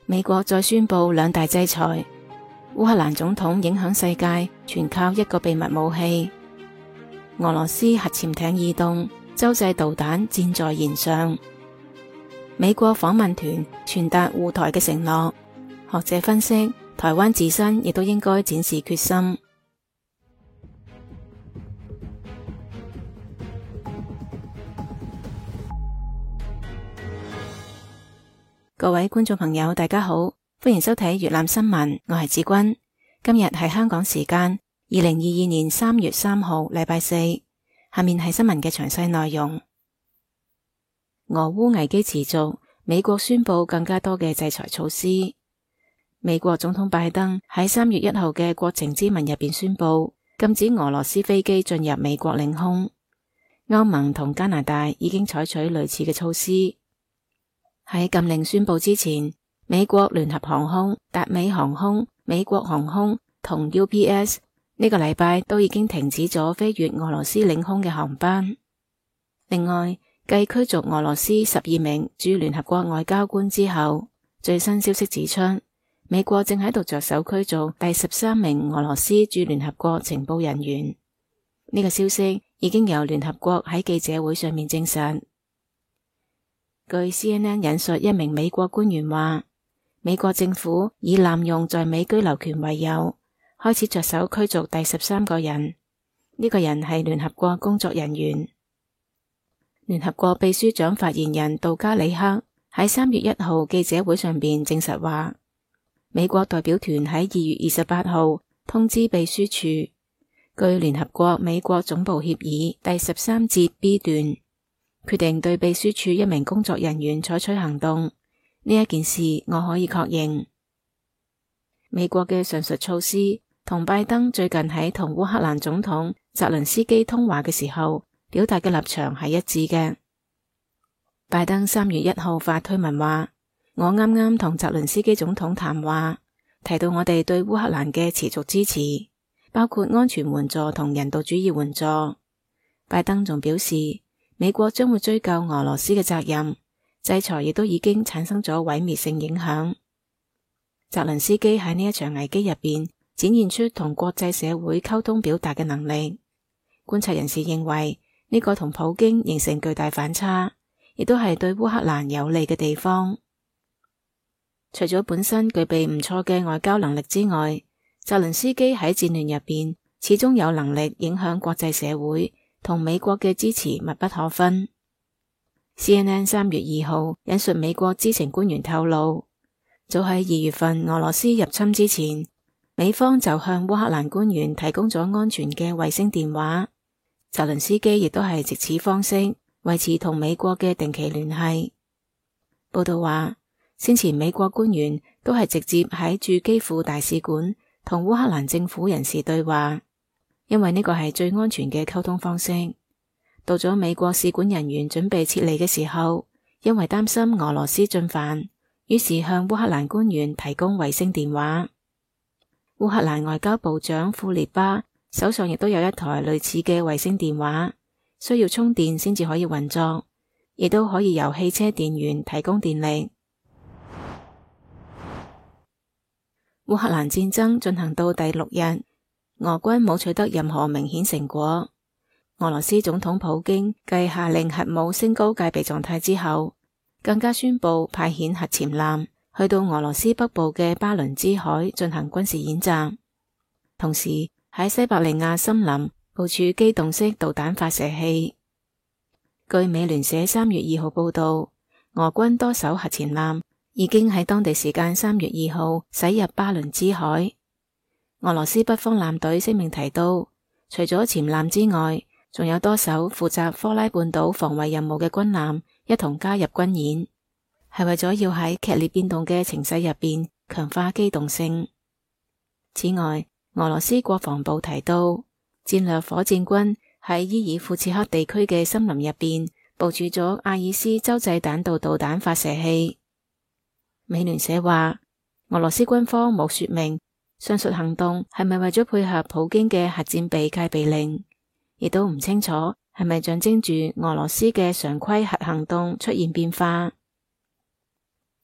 美國再宣布兩大制裁，烏克蘭總統影響世界，全靠一個秘密武器。俄羅斯核潛艇異動，洲際導彈箭在弦上。美國訪問團傳達護台嘅承諾。學者分析，台灣自身亦都應該展示決心。各位觀眾朋友，大家好，歡迎收睇粵覽新聞，我係子君。今日係香港時間2022年3月3號，禮拜四。下面係新聞嘅詳細內容。俄烏危機持續，美國宣布更加多嘅制裁措施。美國總統拜登喺3月1號嘅國情咨文入邊宣布，禁止俄羅斯飛機進入美國領空。歐盟同加拿大已經採取類似嘅措施。喺禁令宣布之前，美國聯合航空、達美航空、美國航空同 UPS 呢個禮拜都已經停止咗飛越俄羅斯領空嘅航班。另外，繼驅逐俄羅斯12名駐聯合國外交官之後，最新消息指出，美國正喺度着手驅逐第13名俄羅斯駐聯合國情報人員。呢個消息已經由聯合國喺記者會上面證實。據 CNN 引述一名美國官員話，美國政府以濫用在美居留權為由，開始着手驅逐第13個人。呢個人係聯合國工作人員。聯合國秘書長發言人杜加里克喺3月1號記者會上邊證實話，美國代表團喺2月28號通知秘書處，據聯合國美國總部協議第13節 B 段，決定對秘書處一名工作人員採取行動。呢一件事我可以確認。美國嘅上述措施同拜登最近喺同烏克蘭總統澤倫斯基通話嘅時候表達嘅立場係一致嘅。拜登3月1號發推文話，我啱啱同澤倫斯基總統談話，提到我哋對烏克蘭嘅持續支持，包括安全援助同人道主義援助。拜登仲表示，美國將會追究俄羅斯嘅責任，制裁亦都已經產生咗毀滅性影響。澤倫斯基喺呢一場危機入邊展現出同國際社會溝通表達嘅能力。觀察人士認為，呢個同普京形成巨大反差，亦都係對烏克蘭有利嘅地方。除咗本身具備唔錯嘅外交能力之外，澤倫斯基喺戰亂入邊始終有能力影響國際社會，同美國嘅支持密不可分。CNN 3月2號引述美國知情官員透露，早喺2月份俄羅斯入侵之前，美方就向烏克蘭官員提供咗安全嘅衛星電話。澤倫斯基亦都係藉此方式維持同美國嘅定期聯繫。報道話，先前美國官員都係直接喺駐基輔大使館同烏克蘭政府人士對話，因為呢個係最安全嘅溝通方式。到咗美國使館人員準備撤離嘅時候，因為擔心俄羅斯進犯，於是向烏克蘭官員提供衛星電話。烏克蘭外交部長庫列巴手上亦都有一台類似嘅衛星電話，需要充電先至可以運作，亦都可以由汽車電源提供電力。烏克蘭戰爭進行到第6日，俄軍冇取得任何明顯成果。俄羅斯總統普京繼下令核武升高戒備狀態之後，更加宣布派遣核潛艦去到俄羅斯北部嘅巴倫支海進行軍事演習，同時喺西伯利亞森林部署機動式導彈發射器。據美聯社3月2號報道，俄軍多艘核潛艦已經喺當地時間3月2號駛入巴倫支海。俄羅斯北方艦隊聲明提到，除咗潛艦之外，仲有多艘負責科拉半島防衛任務嘅軍艦一同加入軍演，係為咗要喺劇烈變動嘅情勢入邊強化機動性。此外，俄羅斯國防部提到，戰略火箭軍喺伊爾庫茨克地區嘅森林入邊部署咗阿爾斯洲際彈道導彈發射器。美聯社話，俄羅斯軍方冇說明上述行動係咪為咗配合普京嘅核戰備戒備令，亦都唔清楚係咪象徵住俄羅斯嘅常規核行動出現變化。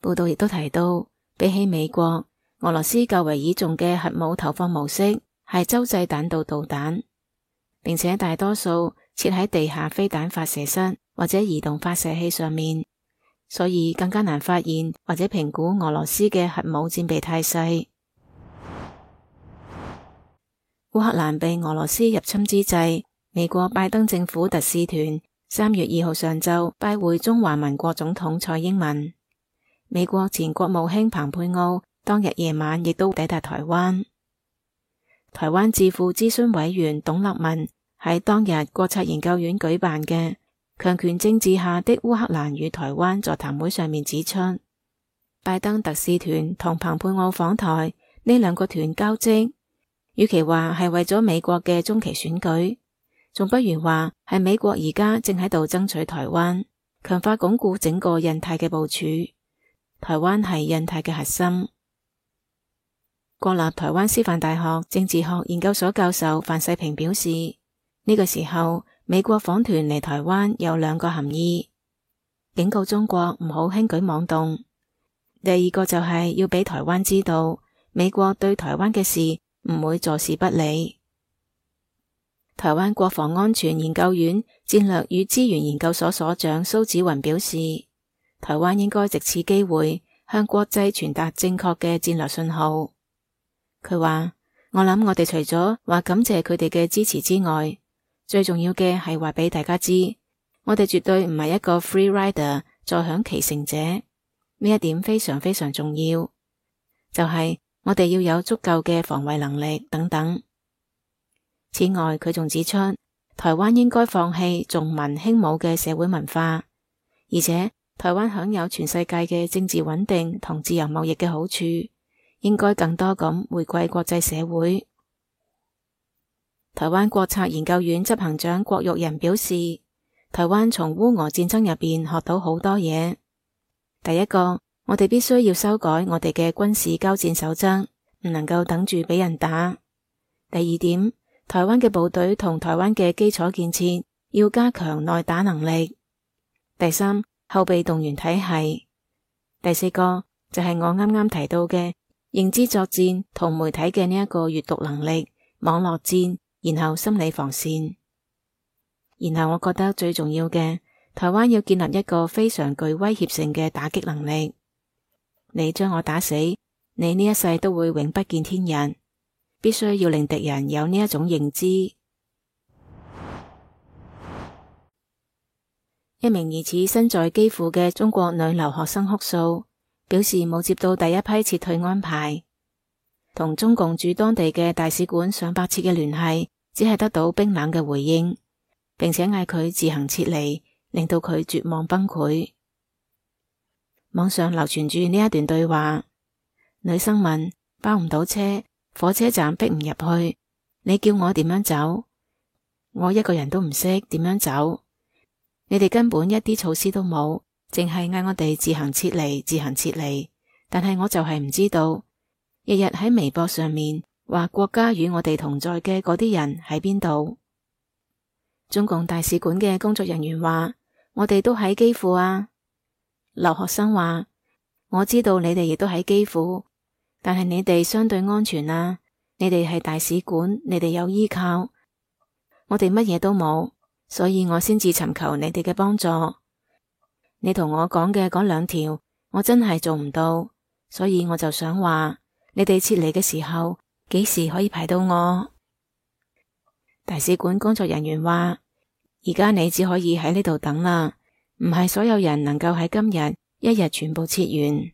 報道亦都提到，比起美國，俄羅斯較為倚重嘅核武投放模式係洲際彈道導彈，並且大多數設喺地下飛彈發射室或者移動發射器上面，所以更加難發現或者評估俄羅斯嘅核武戰備態勢。烏克蘭被俄羅斯入侵之際，美國拜登政府特使團3月2號上晝拜會中華民國總統蔡英文。美國前國務卿蓬佩奧當日夜晚亦都抵達台灣。台灣智庫諮詢委員董立文喺當日國策研究院舉辦嘅強權政治下的烏克蘭與台灣座談會上面指出，拜登特使團同蓬佩奧訪台呢兩個團交織，與其話係為咗美國嘅中期選舉，仲不如話係美國而家正喺度爭取台灣，強化鞏固整個印太嘅部署。台灣係印太嘅核心。國立台灣師範大學政治學研究所教授范世平表示，呢個時候美國訪團嚟台灣有兩個含義：警告中國唔好輕舉妄動；第二個就係要俾台灣知道，美國對台灣嘅事唔會坐視不理。台灣國防安全研究院戰略與資源研究所所長蘇紫雲表示，台灣應該藉此機會向國際傳達正確嘅戰略信號。佢話，我諗我哋除咗話感謝佢哋嘅支持之外，最重要嘅係話俾大家知，我哋絕對唔係一個 free rider 坐享其成者。呢一點非常非常重要，就係我哋要有足夠嘅防衛能力等等。此外，佢仲指出，台灣應該放棄重文輕武嘅社會文化，而且台灣享有全世界嘅政治穩定同自由貿易嘅好處，應該更多咁回歸國際社會。台灣國策研究院執行長郭玉仁表示，台灣從烏俄戰爭入邊學到好多嘢。第一個，我哋必須要修改我哋嘅軍事交戰守則，唔能夠等住俾人打。第二點，台灣嘅部隊同台灣嘅基礎建設要加強耐打能力。第三，後備動員體系。第四個就係我啱啱提到嘅認知作戰同媒體嘅呢一個閱讀能力、網絡戰，然後心理防線。然後我覺得最重要嘅，台灣要建立一個非常具威脅性嘅打擊能力。你將我打死，你呢一世都會永不見天日。必須要令敵人有呢一種認知。一名疑似身在基輔嘅中國女留學生哭訴，表示冇接到第一批撤退安排，同中共駐當地嘅大使館上百次嘅聯繫，只係得到冰冷嘅回應，並且嗌佢自行撤離，令到佢絕望崩潰。網上流傳住呢一段對話，女生問：包唔到車，火車站逼唔入去，你叫我點樣走？我一個人都唔識點樣走，你哋根本一啲措施都冇，淨係嗌我哋自行撤離，自行撤離。但係我就係唔知道，日日喺微博上面話國家與我哋同在嘅嗰啲人喺邊度？中共大使館嘅工作人員話：我哋都喺基輔啊。留學生話：我知道你哋亦都喺基輔。但係你哋相對安全啊，你哋係大使館，你哋有依靠，我哋乜嘢都冇，所以我先至尋求你哋嘅幫助。你同我講嘅嗰兩條，我真係做唔到，所以我就想話，你哋撤離嘅時候，幾時可以排到我？大使館工作人員話：而家你只可以喺呢度等啦，唔係所有人能夠喺今日一日全部撤完。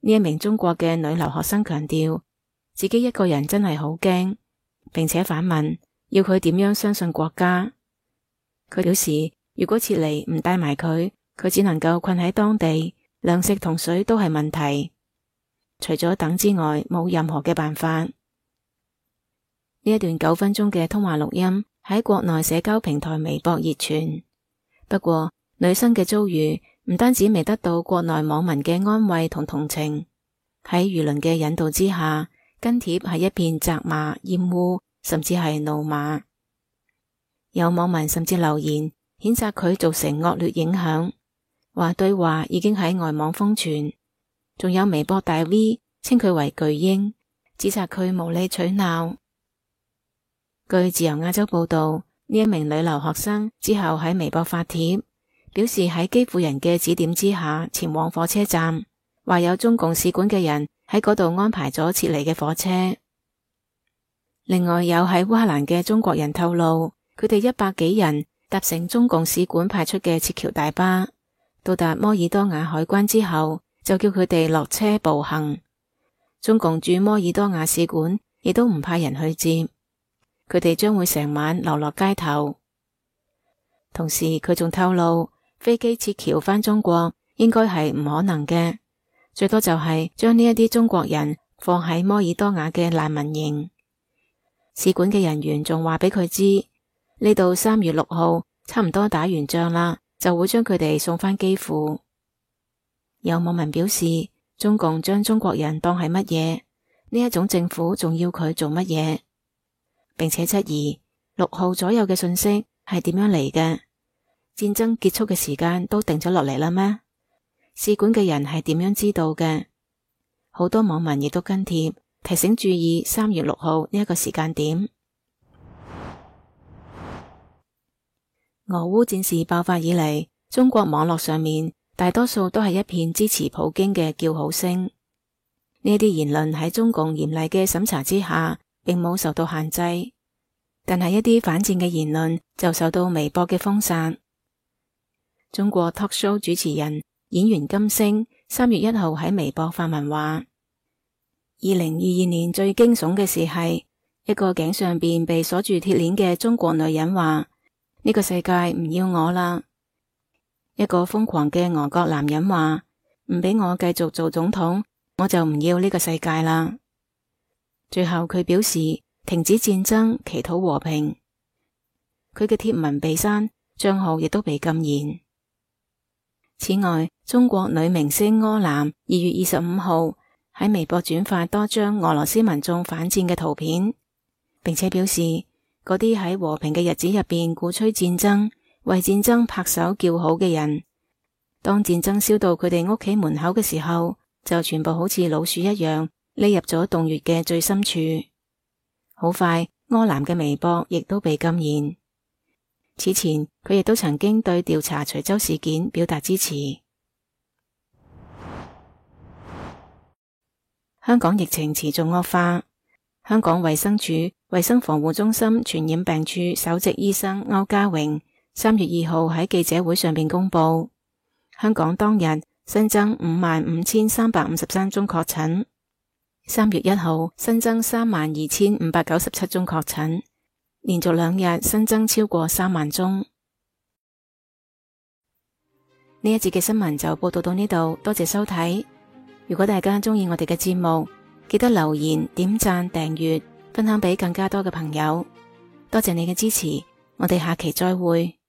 呢一名中國嘅女留學生強調，自己一個人真係好驚，並且反問要佢點樣相信國家。佢表示，如果撤離唔帶埋佢，佢只能夠困喺當地，糧食同水都係問題。除咗等之外，冇任何嘅辦法。呢一段9分鐘嘅通話錄音喺國內社交平台微博熱傳。不過，女生嘅遭遇唔單止未得到國內網民嘅安慰同同情，喺輿論嘅引導之下，跟帖係一片責罵、厭惡，甚至係怒罵。有網民甚至留言譴責佢造成惡劣影響，話對話已經喺外網瘋傳，仲有微博大 V 稱佢為巨嬰，指責佢無理取鬧。據自由亞洲報道，呢一名女留學生之後喺微博發帖，表示喺基輔人嘅指點之下前往火車站，話有中共使館嘅人喺嗰度安排咗撤離嘅火車。另外有喺烏克蘭嘅中國人透露，佢哋100幾人搭乘中共使館派出嘅撤僑大巴，到達摩爾多瓦海關之後，就叫佢哋落車步行。中共駐摩爾多瓦使館亦都唔派人去接，佢哋將會成晚流落街頭。同時佢仲透露，飛機撤僑返中國應該係唔可能嘅，最多就係將呢一啲中國人放喺摩爾多瓦嘅難民營。使館嘅人員仲話俾佢知，呢度3月6號差唔多打完仗啦，就會將佢哋送返基輔。有網民表示，中共將中國人當係乜嘢？呢一種政府仲要佢做乜嘢？並且質疑6號左右嘅信息係點樣嚟嘅？戰爭結束嘅時間都定咗落嚟啦咩？使館嘅人係點樣知道嘅？好多網民亦都跟帖提醒注意3月6號呢一個時間點。俄烏戰事爆發以嚟，中國網絡上面大多數都係一片支持普京嘅叫好聲。呢啲言論喺中共嚴厲嘅審查之下，並冇受到限制，但係一啲反戰嘅言論就受到微博嘅封殺。中國 talk show 主持人演員金星3月1號喺微博發文話：2022年最驚悚嘅事係，一個頸上邊被鎖住鐵鏈嘅中國女人話：呢個世界唔要我啦。一個瘋狂嘅俄國男人話：唔俾我繼續做總統，我就唔要呢個世界啦。最後佢表示停止戰爭，祈禱和平。佢嘅貼文被刪，賬號亦都被禁言。此外，中國女明星柯南2月25號喺微博轉發多張俄羅斯民眾反戰嘅圖片，並且表示嗰啲喺和平嘅日子入邊鼓吹戰爭、為戰爭拍手叫好嘅人，當戰爭燒到佢哋屋企門口嘅時候，就全部好似老鼠一樣匿入咗洞穴嘅最深處。好快，柯南嘅微博亦都被禁言。此前佢亦都曾經對調查徐州事件表達支持。香港疫情持續惡化，香港衛生署衛生防護中心傳染病處首席醫生歐家榮3月2號喺記者會上邊公布，香港當日新增55,353宗確診，3月1號新增32,597宗確診，連續2日新增超過3萬宗。呢一節嘅新聞就報道到呢度，多謝收睇。如果大家鍾意我哋嘅節目，記得留言、點讚、訂閱、分享俾更加多嘅朋友。多謝你嘅支持，我哋下期再會。